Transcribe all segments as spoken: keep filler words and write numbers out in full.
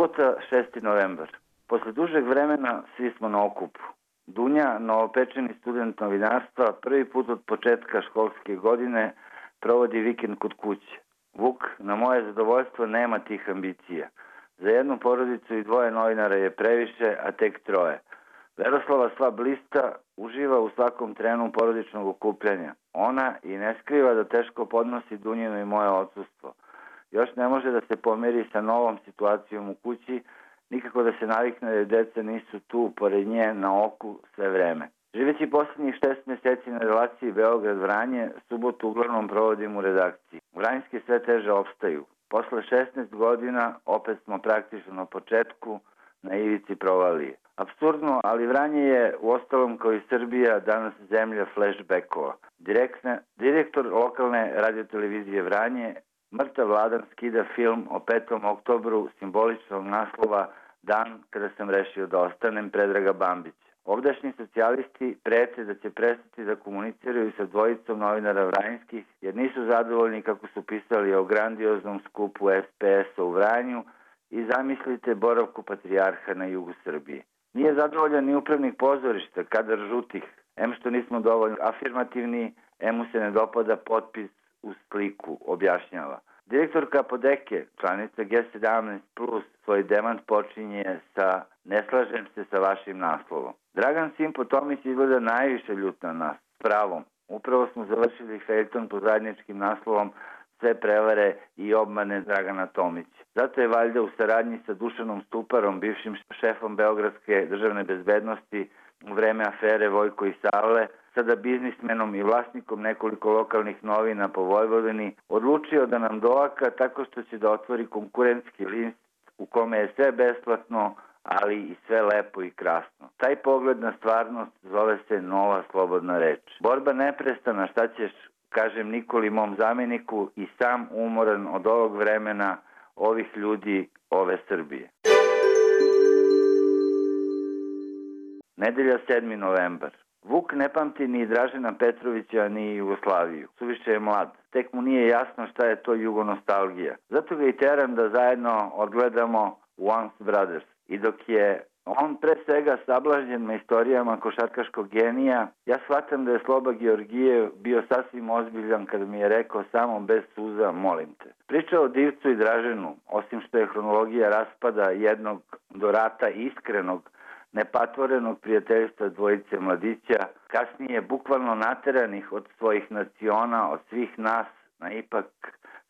Subota, šesti novembar. Posle dužeg vremena svi smo na okupu. Dunja, novopečeni student novinarstva, prvi put od početka školske godine provodi vikend kod kuće. Vuk, na moje zadovoljstvo, nema tih ambicija. Za jednu porodicu i dvoje novinara je previše, a tek troje. Veroslava sva blista uživa u svakom trenu porodičnog okupljanja. Ona i ne skriva da teško podnosi Dunjino i moje odsustvo. Još ne može da se pomeri sa novom situacijom u kući, nikako da se navikne da deca nisu tu pored nje na oku sve vreme. Živeći posljednjih šest meseci na relaciji Beograd-Vranje, subotu uglavnom provodim u redakciji. Vranjski sve teže opstaju. Posle šesnaest godina opet smo praktično na početku, na ivici provalije. Apsurdno, ali Vranje je, uostalom kao i Srbija, danas zemlja flashbackova. Direktne, direktor lokalne radiotelevizije Vranje, mrtav Vladan, skida film o petom oktobru simboličnog naslova Dan kada sam rešio da ostanem, Predraga Bambića. Ovdašnji socijalisti prete da će prestati da komuniciraju sa dvojicom novinara vranjskih, jer nisu zadovoljni kako su pisali o grandioznom skupu S P S-a u Vranju i zamislite boravku patrijarha na jugu Srbije. Nije zadovoljan ni upravnik pozorišta, kadar žutih, em što nismo dovoljno afirmativni, em mu se ne dopada potpis u sliku, objašnjava. Direktorka Apodeke, članica G sedamnaest plus, svoj demant počinje sa "Ne slažem se sa vašim naslovom". Dragan Simpo Tomić izgleda najviše ljut na nas, s pravom. Upravo smo završili feljton pod zajedničkim naslovom "Sve prevare i obmane Dragana Tomića". Zato je valjda u saradnji sa Dušanom Stuparom, bivšim šefom Beogradske državne bezbednosti u vreme afere Vojko i Savle, sada biznismenom i vlasnikom nekoliko lokalnih novina po Vojvodini, odlučio da nam doaka tako što će da otvori konkurentski list u kome je sve besplatno, ali i sve lepo i krasno. Taj pogled na stvarnost zove se nova slobodna reč. Borba neprestana, šta ćeš, kažem Nikoli, mom zameniku, i sam umoran od ovog vremena, ovih ljudi, ove Srbije. Nedelja, sedmi novembar. Vuk ne pamti ni Dražena Petrovića, ni Jugoslaviju. Suviše je mlad. Tek mu nije jasno šta je to jugonostalgija. Zato ga i teram da zajedno odgledamo Once Brothers. I dok je on pre svega sablažnjen na istorijama košarkaškog genija, ja shvatam da je Sloba Georgijev bio sasvim ozbiljan kad mi je rekao samo bez suza, molim te. Priča o Divcu i Draženu, osim što je hronologija raspada jednog do rata iskrenog, nepatvorenog prijateljstva dvojice mladića, kasnije bukvalno nateranih od svojih naciona, od svih nas, na ipak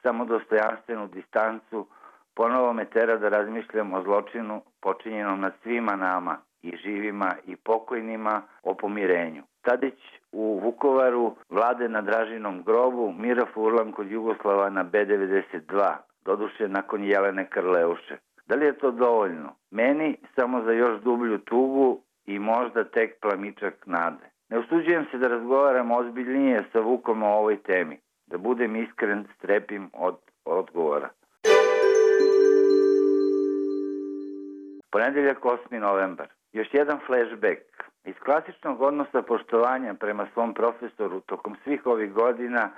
samo dostojanstvenu distancu, ponovo me tera da razmišljam o zločinu počinjenom nad svima nama, i živima i pokojnima, o pomirenju. Tadić u Vukovaru, Vlade na Dražinom grobu, Mira Furlan kod Jugoslava na B devedeset dva, doduše nakon Jelene Karleuše. Da li je to dovoljno? Meni samo za još dublju tugu i možda tek plamičak nade. Ne usuđujem se da razgovaram ozbiljnije sa Vukom o ovoj temi. Da budem iskren, strepim od odgovora. Ponedeljak, osmi novembar. Još jedan flashback. Iz klasičnog odnosa poštovanja prema svom profesoru tokom svih ovih godina,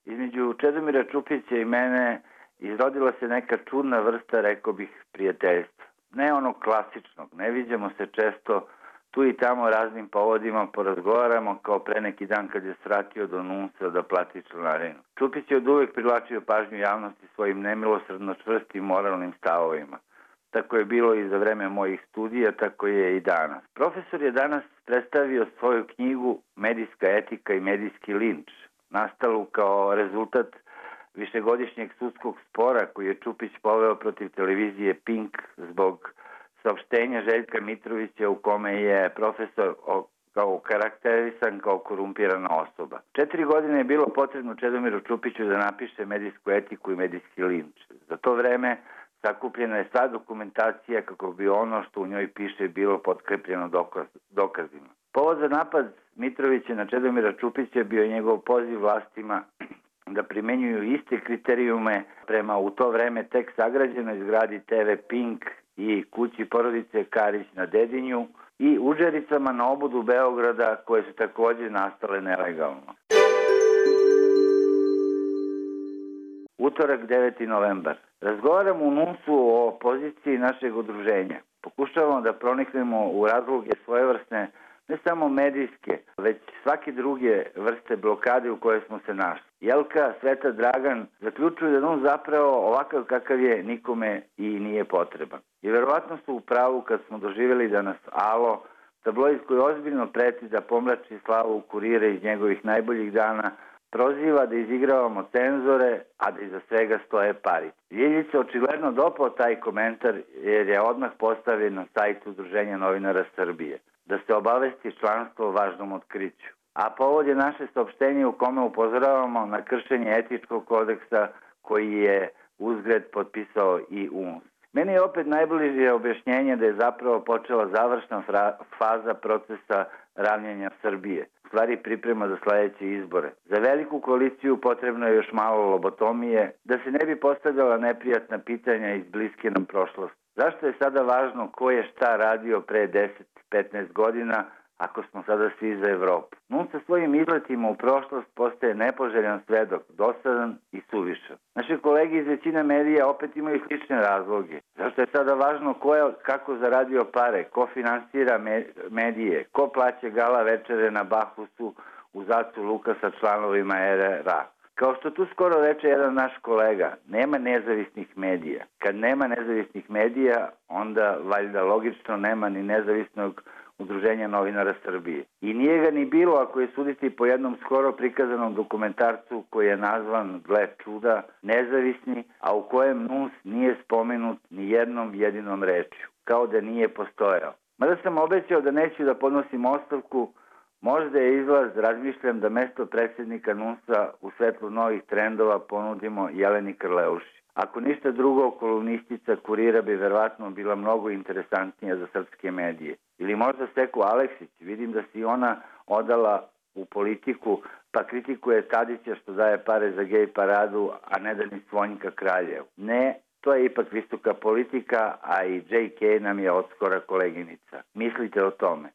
između Čedomira Čupića i mene izrodila se neka čudna vrsta, rekao bih, prijateljstva. Ne onog klasičnog, ne viđamo se često, tu i tamo raznim povodima porazgovaramo, kao pre neki dan kad je svratio do Nunsa da plati članarinu. Čupić je od uvek privlačio pažnju javnosti svojim nemilosrdno čvrstim moralnim stavovima. Tako je bilo i za vreme mojih studija, tako je i danas. Profesor je danas predstavio svoju knjigu "Medijska etika i medijski linč", nastalu kao rezultat višegodišnjeg sudskog spora koji je Čupić poveo protiv televizije Pink zbog saopštenja Željka Mitrovića u kome je profesor kao karakterisan kao korumpirana osoba. Četiri godine je bilo potrebno Čedomiru Čupiću da napiše "Medijsku etiku i medijski linč". Za to vreme sakupljena je sva dokumentacija kako bi ono što u njoj piše bilo potkrepljeno dokaz, dokazima. Povod za napad Mitrovića na Čedomira Čupića bio njegov poziv vlastima da primenjuju iste kriterijume prema u to vreme tek sagrađenoj zgradi T V Pink i kući porodice Karić na Dedinju i udžericama na obodu Beograda koje su takođe nastale nelegalno. Utorak deveti novembar. Razgovaramo u NUNS-u o poziciji našeg udruženja. Pokušavamo da proniknemo u razloge svojevrsne, ne samo medijske, već svake druge vrste blokade u kojoj smo se našli. Jelka, Sveta, Dragan zaključuju da NUNS zapravo ovakav kakav je nikome i nije potreban. I verovatno su u pravu kad smo doživjeli da nas Alo, tabloid koji ozbiljno preti da pomrači slavu Kurira iz njegovih najboljih dana, proziva da izigravamo cenzore, a da iza svega stoje pari. Ljiljica očigledno dopao taj komentar jer je odmah postavljen na sajtu Udruženja novinara Srbije, da se obavesti članstvo o važnom otkriću. A povod je naše saopštenje u kome upozoravamo na kršenje etičkog kodeksa koji je uzgred potpisao i U N S. Meni je opet najbliže objašnjenje da je zapravo počela završna faza procesa ravnjenja Srbije, u stvari priprema za sledeće izbore. Za veliku koaliciju potrebno je još malo lobotomije, da se ne bi postavljala neprijatna pitanja iz bliske nam prošlosti. Zašto je sada važno ko je šta radio pre deset do petnaest godina, ako smo sada svi za Evropu? NUNS sa svojim izletima u prošlost postaje nepoželjan svedok, dosadan i suvišan. Naše kolege iz većine medija opet imaju slične razloge. Zašto je sada važno ko je kako zaradio pare, ko finansira medije, ko plaća gala večere na Bahusu u Zacu Luka sa članovima R R A. Kao što tu skoro reče jedan naš kolega, nema nezavisnih medija. Kad nema nezavisnih medija, onda valjda logično nema ni nezavisnog Udruženja novinara Srbije. I nije ga ni bilo ako je suditi po jednom skoro prikazanom dokumentarcu koji je nazvan, gle čuda, Nezavisni, a u kojem NUNS nije spomenut ni jednom jedinom rečju, kao da nije postojao. Mada sam obećao da neću da podnosim ostavku, možda je izlaz, razmišljam da mesto predsjednika NUNS-a u svetlu novih trendova ponudimo Jeleni Krleuši. Ako ništa drugo, kolumnistica Kurira bi verovatno bila mnogo interesantnija za srpske medije. Ili možda Steku Aleksić, vidim da si ona odala u politiku, pa kritikuje Tadića što daje pare za gej paradu, a ne da ni Svonjka Kraljev. Ne, to je ipak visoka politika, a i J K nam je odskora koleginica. Mislite o tome.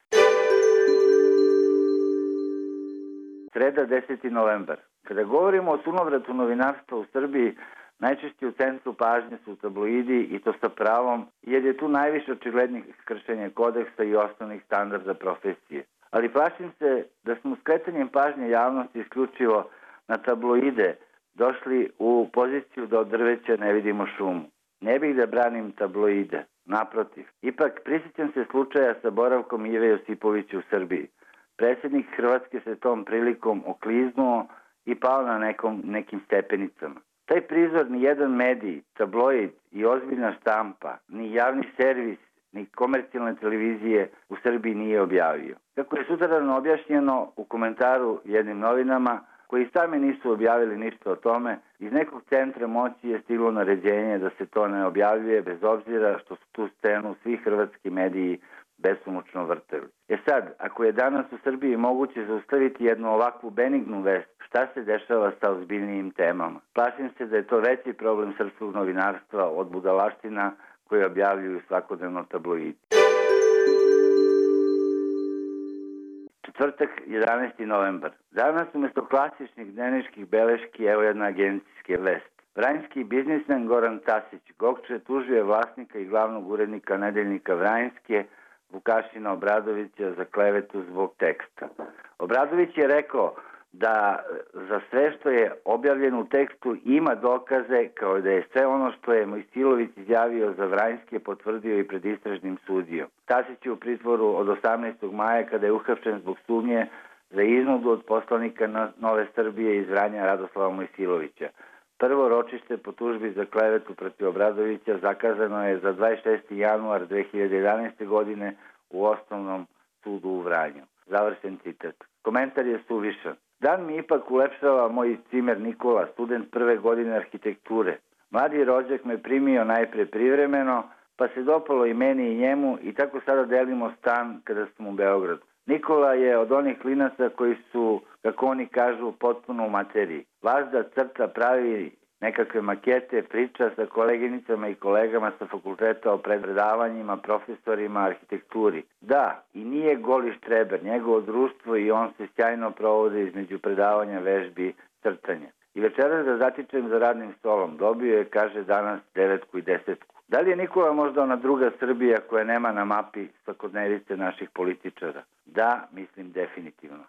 Sreda deseti novembar. Kada govorimo o sunovratu novinarstva u Srbiji, najčešće u centru pažnje su tabloidi i to sa pravom, jer je tu najviše očiglednih kršenja kodeksa i osnovnih standarda profesije. Ali plašim se da smo skretanjem pažnje javnosti isključivo na tabloide došli u poziciju da od drveća ne vidimo šumu. Ne bih da branim tabloide, naprotiv. Ipak prisjećam se slučaja sa boravkom Ive Josipovića u Srbiji. Predsjednik Hrvatske se tom prilikom okliznuo i pao na nekom, nekim stepenicama. Taj prizor ni jedan medij, tabloid i ozbiljna štampa, ni javni servis, ni komercijalne televizije u Srbiji nije objavio. Kako je sutradan objašnjeno u komentaru jednim novinama, koji sami nisu objavili ništa o tome, iz nekog centra moći je stiglo naređenje da se to ne objavljuje, bez obzira što su tu scenu svi hrvatski mediji besomučno vrteli. E sad, ako je danas u Srbiji moguće zaustaviti jednu ovakvu benignu vest, šta se dešava sa ozbiljnijim temama? Plašim se da je to veći problem srpskog novinarstva od budalaština koje objavljuju svakodnevno tabloidi. Četvrtak, jedanaesti novembar. Danas umjesto klasičnih dnevničkih beleški, evo jedna agencijske vest. Vranjski biznismen Goran Tasić Gokče tužio je vlasnika i glavnog urednika nedeljnika Vranjske, Vukašina Obradovića, za klevetu zbog teksta. Obradović je rekao da za sve što je objavljeno u tekstu ima dokaze, kao da je sve ono što je Mojsilović izjavio za Vranjske potvrdio i pred istražnim sudijom. Tasić je u pritvoru od osamnaestog maja kada je uhapšen zbog sumnje za iznudu od poslanika Nove Srbije iz Vranja Radoslava Mojsilovića. Prvo ročište po tužbi za klevetu protiv Obradovića zakazano je za dvadeset šesti januar dve hiljade jedanaeste. godine u Osnovnom sudu u Vranju. Završen citat. Komentar je suvišan. Dan mi ipak ulepšava moj cimer Nikola, student prve godine arhitekture. Mladi rođak me primio najpre privremeno, pa se dopalo i meni i njemu i tako sada delimo stan kada smo u Beogradu. Nikola je od onih klinaca koji su, kako oni kažu, potpuno u materiji. Vazda crta, pravi nekakve makete, priča sa koleginicama i kolegama sa fakulteta o predavanjima, profesorima, arhitekturi. Da, i nije goli štreber, njegovo društvo i on se sjajno provode između predavanja, vežbi, crtanja. I večeras da zatičem za radnim stolom. Dobio je, kaže, danas devetku i desetku. Da li je Nikola možda ona druga Srbija koja nema na mapi svakodnevice naših političara? Da, mislim definitivno.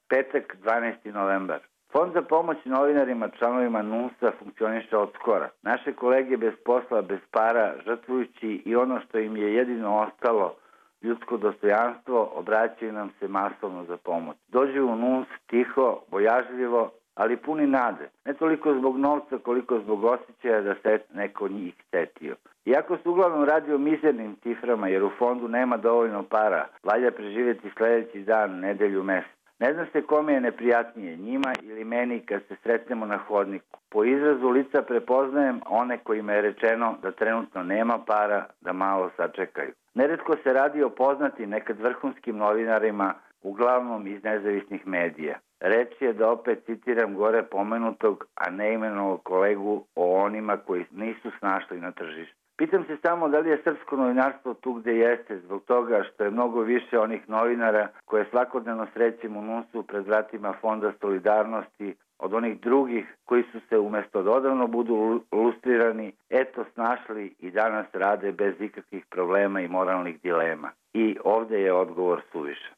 Petak, dvanaesti novembar. Fond za pomoć novinarima, članovima N U S-a funkcioniše od skora. Naše kolege bez posla, bez para, žrtvujući i ono što im je jedino ostalo, ljudsko dostojanstvo, obraćaju nam se masovno za pomoć. Dođu u N U S tiho, bojažljivo, ali puni nade. Ne toliko zbog novca, koliko zbog osjećaja da se neko njih setio. Iako se uglavnom radi o mizernim ciframa, jer u fondu nema dovoljno para, valja preživjeti sledeći dan, nedelju, mesec. Ne znam se kome je neprijatnije, njima ili meni kad se sretnemo na hodniku. Po izrazu lica prepoznajem one kojima je rečeno da trenutno nema para, da malo sačekaju. Neretko se radi o poznatim, nekad vrhunskim novinarima, uglavnom iz nezavisnih medija. Reč je, da opet citiram gore pomenutog, a neimenovog kolegu, o onima koji nisu snašli na tržištu. Pitam se samo da li je srpsko novinarstvo tu gde jeste, zbog toga što je mnogo više onih novinara koje svakodnevno srećemo u N U S-u pred vratima Fonda solidarnosti, od onih drugih koji su se umesto da odavno budu lustrirani, eto snašli i danas rade bez ikakvih problema i moralnih dilema. I ovde je odgovor suvišan.